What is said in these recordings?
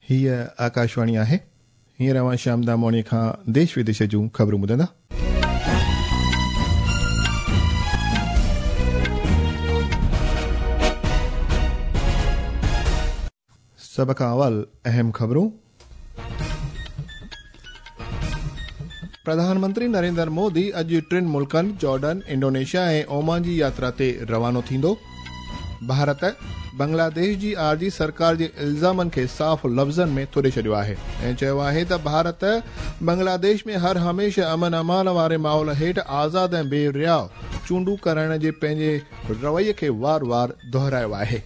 هيء آڪاشواڻي آهي. هينئر اوهان شيام دامواڻيء کان ديش وديش جون خبرون ٻڌندا. سڀ کان اول اهم خبرون. پرڌان منتري نريندر مودي اڄ ٽن ملڪن جارڊن، انڊونيشيا ۽ اومان جي ياترا تي روانو ٿيندو. ڀارت، بنگلاديش جي عارضي سرڪار جي الزامن کي صاف لفظن ۾ ٿڏي ڇڏيو آهي ۽ چيو آهي ته ڀارت بنگلاديش ۾ هر هميشه امن امان واري ماحول هيٺ آزاد ۽ بي رياء چونڊون ڪرائڻ جي پنهنجي رويي کي وار وار دهرايو آهي.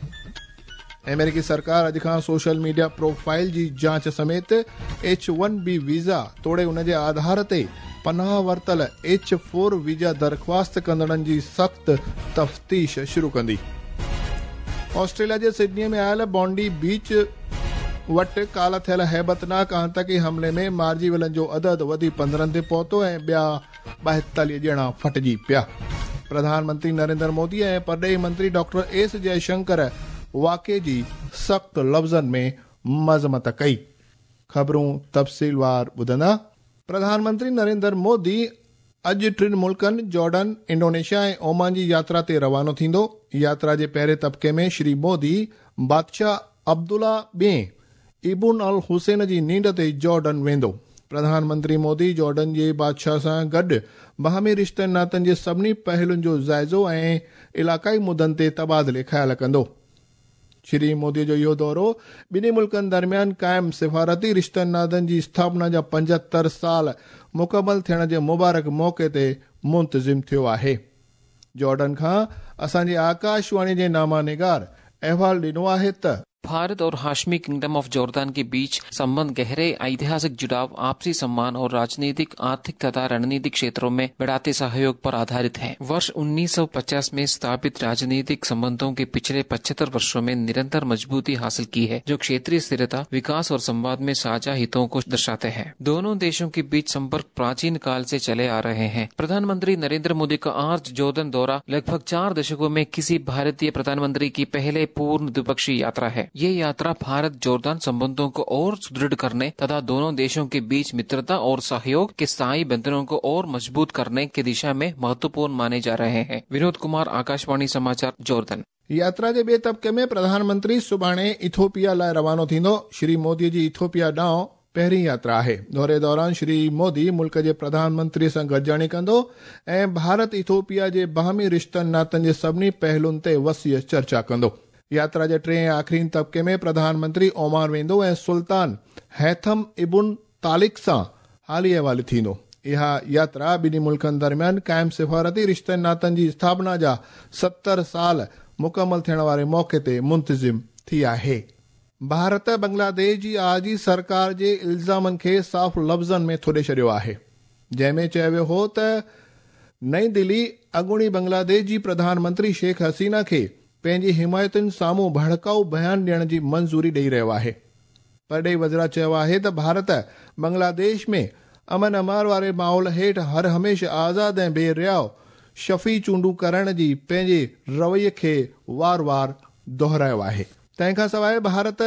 آمريڪي سرڪار اڄ کان سوشل ميڊيا پروفائل جي جاچ سميت ايڇ ون بي ويزا توڙي ان جي آڌار تي پناهه ورتل ايڇ فور ويزا درخواست ڪندڙن جي سخت تفتيش شروع ڪندي. آسٽريليا جي سڊني ۾ آيل بانڊي بيچ وٽ ڪالهه ٿيل هيبتناڪ آتنڪي حملي ۾ مارجي ويلن جو عدد وڌي 15 تي پهتو ۽ ٻيا 42 ڄڻا ڦٽجي پيا. پرڌان منتري نريندر مودي ۽ پرڏيهي منتري ڊاڪٽر ايس جئه شنڪر واقعي جي سخت لفظن ۾ مذمت ڪئي. خبرون تفصيلوار ٻڌندا. پرڌان منتري نريندر مودي اڄ ٽن ملڪن جارڊن، انڊونيشيا ۽ اومان جي ياترا تي روانو ٿيندو. ياترا جي پهرين طبقي ۾ شري مودي بادشاهه عبدالله ٻئين ابن الحسين جي نينڍ تي جارڊن ويندو. پرڌان منتري مودي جارڊن جي بادشاهه سان گڏ باهمي رشتن ناتن جي سڀني پهلن جو جائزو ۽ علائقائي مدن تي تبادلي خيال ڪندو. شري مودي جو اهو دورو ٻنهي ملڪن درميان قائم سفارتي رشتن ناتن جي اسٿاپنا جا 75 سال مڪمل ٿيڻ جي مبارڪ موقعي تي منتظم ٿيو آهي. جارڊن کان اسان جي آڪاشواڻي جي نامه نگار احوال ڏنو آهي ته. भारत और हाशमी किंगडम ऑफ जॉर्डन के बीच संबंध गहरे ऐतिहासिक जुड़ाव, आपसी सम्मान और राजनीतिक, आर्थिक तथा रणनीतिक क्षेत्रों में बढ़ाते सहयोग पर आधारित है। वर्ष 1950 में स्थापित राजनीतिक संबंधों के पिछले 75 वर्षों में निरंतर मजबूती हासिल की है, जो क्षेत्रीय स्थिरता, विकास और संवाद में साझा हितों को दर्शाते हैं। दोनों देशों के बीच संपर्क प्राचीन काल से चले आ रहे हैं। प्रधानमंत्री नरेंद्र मोदी का आज जॉर्डन दौरा लगभग 4 दशकों में किसी भारतीय प्रधानमंत्री की पहले पूर्ण द्विपक्षीय यात्रा है। ये यात्रा भारत जॉर्डन संबंधों को और सुदृढ़ करने तथा दोनों देशों के बीच मित्रता और सहयोग के स्थायी बंधनों को और मजबूत करने की दिशा में महत्वपूर्ण माने जा रहे हैं। विनोद कुमार, आकाशवाणी समाचार, जॉर्डन। यात्रा जे ॿिए तबके में प्रधानमंत्री सुभाणे इथोपिया लाइ रवानो थींदो। श्री मोदी जी इथोपिया ॾांहुं पहिरीं यात्रा आहे। दौरे दौरान श्री मोदी मुल्क जे प्रधानमंत्री सां गॾिजाणी कंदो ऐं भारत इथोपिया जे बाहमी रिश्तनि नातनि जे सभिनी पहलुनि ते वसीअ चर्चा कंदो। यात्रा जे टे आख़िरी तबके में प्रधानमंत्री ओमान वेंदो ऐं सुल्तान हैथम इबुन तालिक सां हाली अहवाली थींदो। इहा यात्रा ॿिन्ही मुल्कनि दरमियान क़ाइम सिफारती रिश्तनि नातनि जी स्थापना जा 70 साल मुकमल थियण वारे मौक़े ते मुंतज़िम थी आहे। भारत बांग्लादेश जी आरज़ी सरकार जे इल्ज़ामनि खे साफ़ लफ़्ज़नि में थुॾे छॾियो आहे, जंहिंमें चयो वियो हो त नई दिल्ली अॻूणी बांग्लादेश जी प्रधानमंत्री शेख हसीना खे पंहिंजी हिमायतुनि साम्हूं भड़काऊ बयान ॾियण जी मंज़ूरी ॾेई रहियो आहे। परॾेही वज़रा चयो आहे त भारत बांग्लादेश में अमन अमार वारे माहौल हेठि हर हमेशह आज़ाद ऐं बेरियाव शफ़ी चूंडूं करण जी पंहिंजे रवैये खे वार वार दोहरायो आहे। तंहिंखां सवाइ भारत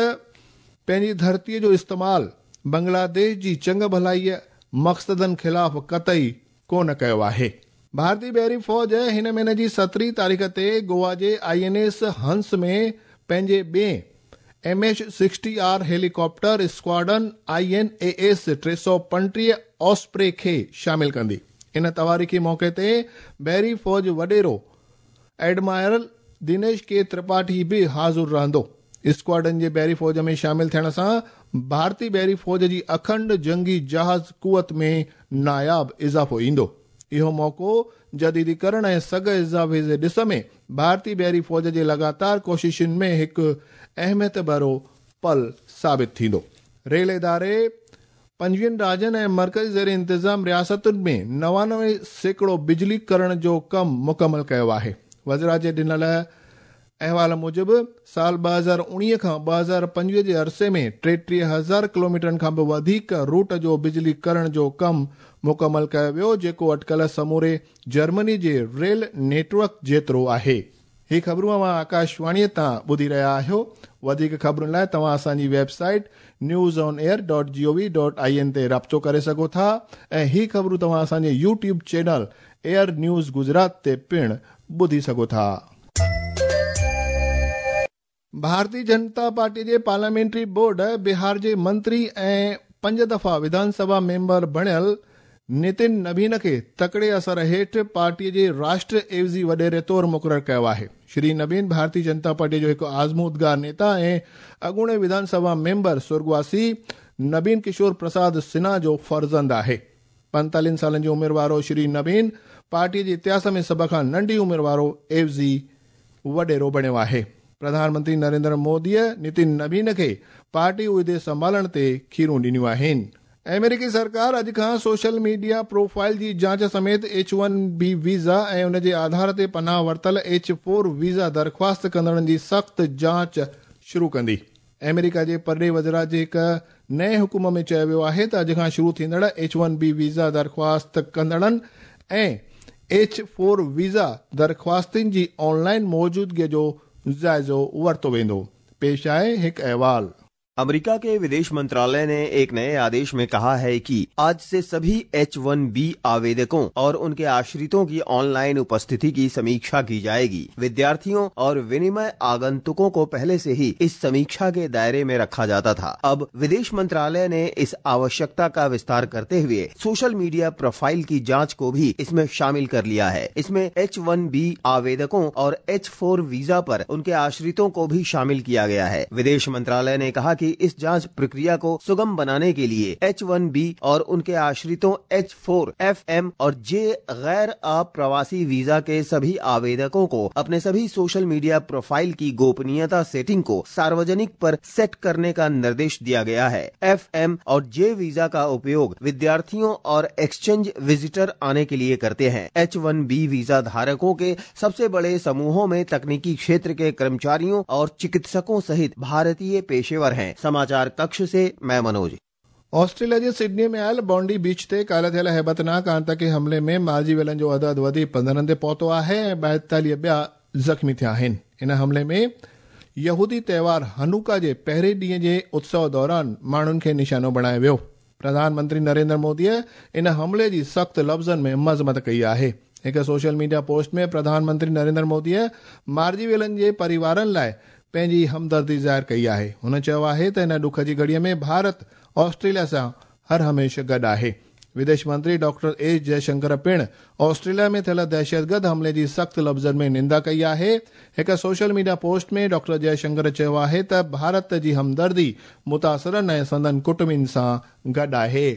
पंहिंजी धरतीअ जो इस्तेमाल बांग्लादेश जी चंग भलाईअ मक़सदनि ख़िलाफ़ कतई कोन कयो आहे। भारतीय बहरी फ़ौज हिन महीने जी 17 तारीख़ ते गोवा जे INS हंस में पंहिंजे ॿिए MH-60R helicopter squadron INAS 335 Osprey खे शामिल कंदी। इन तवारीख़ी मौक़े ते बहरी फ़ौज वॾेरो एडमायरल दिनेश के त्रिपाठी बि हाज़िर रहंदो। स्क्वाडन जे बहरी फ़ौज में शामिल थियण सां भारतीय बहरी फ़ौज जी अखंड जंगी जहाज़ कुवत में नायाब इज़ाफ़ो ईंदो। इहो मौक़ो जदीदीकरण ऐं सघ इज़ाफ़े जे ॾिस में भारतीय बहरी फ़ौज जे लगातार कोशिशुनि में हिकु अहमियत भरो पल साबित थींदो। रेल इदारे 25 राज्यनि ऐं मर्कज़ी ज़ेर इंतिज़ाम रियासतुनि में 99% बिजली करण जो कमु मुकमल कयो आहे। वज़रा जे ॾिनल अहवाल मूजिबि साल 2019 खां 2025 जे अरसे में 33,000 किलोमीटरनि खां बि वधीक रूट जो बिजली करण जो कमु मुकमल कयो वियो, जेको अटकल समूरे जर्मनी जे रेल नेटवर्क जेतिरो आहे। ही ख़बरूं अव्हां आकाशवाणीअ तां ॿुधी रहिया आहियो। वधीक ख़बरुनि लाइ तव्हां असांजी वेबसाइट newsonair.gov.in تي رابطو ڪري سگهو ٿا ۽ هي خبرون توهان اسان جي YouTube channel AIR news Gujarat تي پڻ ٻڌي سگهو ٿا. ڀارتي جنتا پارٽي جي پارليامينٽري بورڊ بهار جي منتري ۽ پنج دفعا وڌان سڀا ميمبر بڻيل نتن نبين کي تڪڙي اثر هيٺ پارٽي جي راشٽر عيوضي وڏيري طور مقرر ڪيو آهي. شري نبين ڀارتي جنتا پارٽي جو هڪ آزمودگار نيتا ۽ اڳوڻي وڌان سڀا ميمبر سرڳواسي نبين ڪشور پرساد سنها جو فرزند آهي. 45 سالن جي عمر وارو شري نبين پارٽي جي اتهاس ۾ سڀ کان ننڍي عمر وارو عيوضي وڏيرو بڻيو آهي. پرڌان منتري نريندر موديء نتن نبين کي پارٽي عهدي سنڀالڻ تي کيرون ڏنيون آهن. آمريڪي سرڪار اڄ کان سوشل ميڊيا پروفائل جي جاچ سميت ايڇ ون بي ويزا ۽ ان جي آڌار تي پناهه ورتل ايڇ فور ويزا درخواست ڪندڙن جي سخت جاچ شروع ڪندي. آمريڪا جي پرڏيهي وزارت جي هڪ نئين حڪم ۾ چيو ويو آهي ته اڄ کان شروع ٿيندڙ ايڇ ون بي ويزا درخواست ڪندڙن ۽ ايڇ فور ويزا درخواستين جي آن لائن موجودگي جو جائزو ورتو ويندو. پيش آهي هڪ احوال. अमेरिका के विदेश मंत्रालय ने एक नए आदेश में कहा है कि आज से सभी H-1B आवेदकों और उनके आश्रितों की ऑनलाइन उपस्थिति की समीक्षा की जाएगी। विद्यार्थियों और विनिमय आगंतुकों को पहले से ही इस समीक्षा के दायरे में रखा जाता था। अब विदेश मंत्रालय ने इस आवश्यकता का विस्तार करते हुए सोशल मीडिया प्रोफाइल की जांच को भी इसमें शामिल कर लिया है। इसमें H-1B आवेदकों और H-4 visa पर उनके आश्रितों को भी शामिल किया गया है। विदेश मंत्रालय ने कहा कि इस जांच प्रक्रिया को सुगम बनाने के लिए H-1B और उनके आश्रितों H-4, FM और J गैर अप्रवासी वीजा के सभी आवेदकों को अपने सभी सोशल मीडिया प्रोफाइल की गोपनीयता सेटिंग को सार्वजनिक पर सेट करने का निर्देश दिया गया है। FM और J visa का उपयोग विद्यार्थियों और एक्सचेंज विजिटर आने के लिए करते हैं। H-1B visa धारकों के सबसे बड़े समूहों में तकनीकी क्षेत्र के कर्मचारियों और चिकित्सकों सहित भारतीय पेशेवर हैं। समाचार कक्ष से मैं मनोज। ऑस्ट्रेलिया जे सिडनी में आयल बॉन्डी बीच ते काल्ह थियल हैबतनाक आतंकी हमले में मारिजी वियलनि जो अदद वधी 15 ते पहुतो आहे ऐं 42 ॿिया ज़ख़्मी थिया आहिनि। इन हमले में यहूदी त्योहार हनुका जे पहिरें ॾींहं जे उत्सव दौरान माण्हुनि खे निशानो बणायो वियो। प्रधानमंत्री नरेंद्र मोदीअ इन हमले जी सख़्त लफ़्ज़नि में मज़मत कई आहे। हिकु सोशल मीडिया पोस्ट में प्रधानमंत्री नरेंद्र मोदीअ मारिजी वियलनि जे परिवारनि लाइ पंहिंजी हमदर्दी ज़ाहिर कई आहे। हुन चयो आहे त हिन ॾुख जी घड़ीअ में भारत ऑस्ट्रेलिया सां हर हमेशह गॾु आहे। विदेश मंत्री डॉक्टर एस जयशंकर पिण ऑस्ट्रेलिया में थियल दहशतगर्द हमले जी सख़्त लफ़्ज़नि में निंदा कई आहे। हिकु social media post में डॉक्टर जयशंकर चयो आहे त भारत जी हमदर्दी मुतासिरनि ऐं संदन कुटुंबिनि सां गॾु आहे।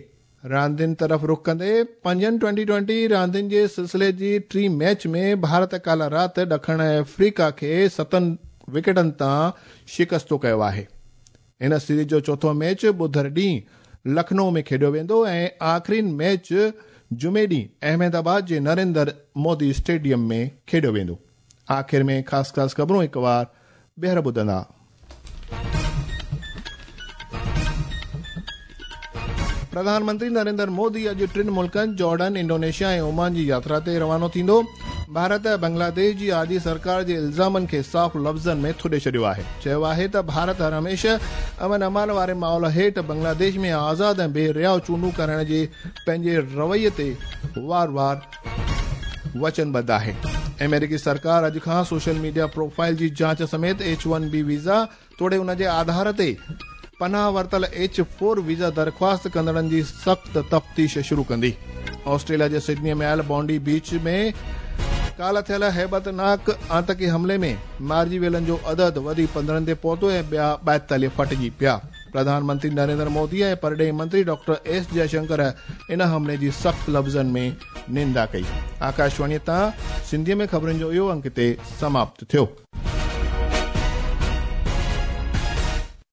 रांदियुनि तरफ़ रुख कंदे पंजनि 2020 रांदियुनि जे सिलसिले जी टीं मैच में भारत काल्ह राति ॾखण अफ्रीका खे 7 विकेटनि तां शिकस्तो कयो आहे। हिन सीरीज जो चोथों मैच ॿुधर ॾींहुं लखनऊ में खेॾियो वेंदो ऐं आख़िरी मैच जुमे ॾींहुं अहमदाबाद जे नरेंद्र मोदी स्टेडियम में खेॾियो वेंदो। आख़िर में ख़ासि ख़ासि ख़बरूं हिकु वार ॿीहर ॿुधंदा। प्रधानमंत्री नरेंद्र मोदी अॼु टिनि मुल्कनि जॉर्डन, इंडोनेशिया ऐं ओमान जी यात्रा ते रवानो थींदो। भारत बांग्लादेश जी आदि सरकार जे इल्ज़ामनि खे साफ़ लफ़्ज़नि में थुॾे छॾियो आहे। चयो आहे त भारत हर हमेशह अमन अमान वारे माहौल हेठि बांग्लादेश में आज़ाद ऐं बेरियाव चूंडूं कराइण जे पंहिंजे रवैये ते वार वार वचनबद्ध आहे। अमेरिकी सरकार अॼु खां सोशल मीडिया प्रोफाइल जी जांच समेत H-1B visa तोड़े उन जे आधार ते पनाह वरितल H-4 visa दरख़्वास्त कंदड़नि जी सख़्त तफ़्तीश शुरू कंदी। ऑस्ट्रेलिया जे सिडनी में आयल बॉन्डी बीच में काल्ह थियल हैबतनाक आतंकी हमले में मारिजी वियलनि जो अदद वधी 15 ते पहुतो ऐं ॿिया 42 फटिजी पिया। प्रधानमंत्री नरेंद्र मोदी ऐं परॾेही मंत्री डॉक्टर एस जयशंकर इन हमले जी सख़्त लफ़्ज़नि में निंदा कई। आकाशवाणीअ तां सिंधीअ में ख़बरुनि जो इहो अंक हिते समाप्त थियो।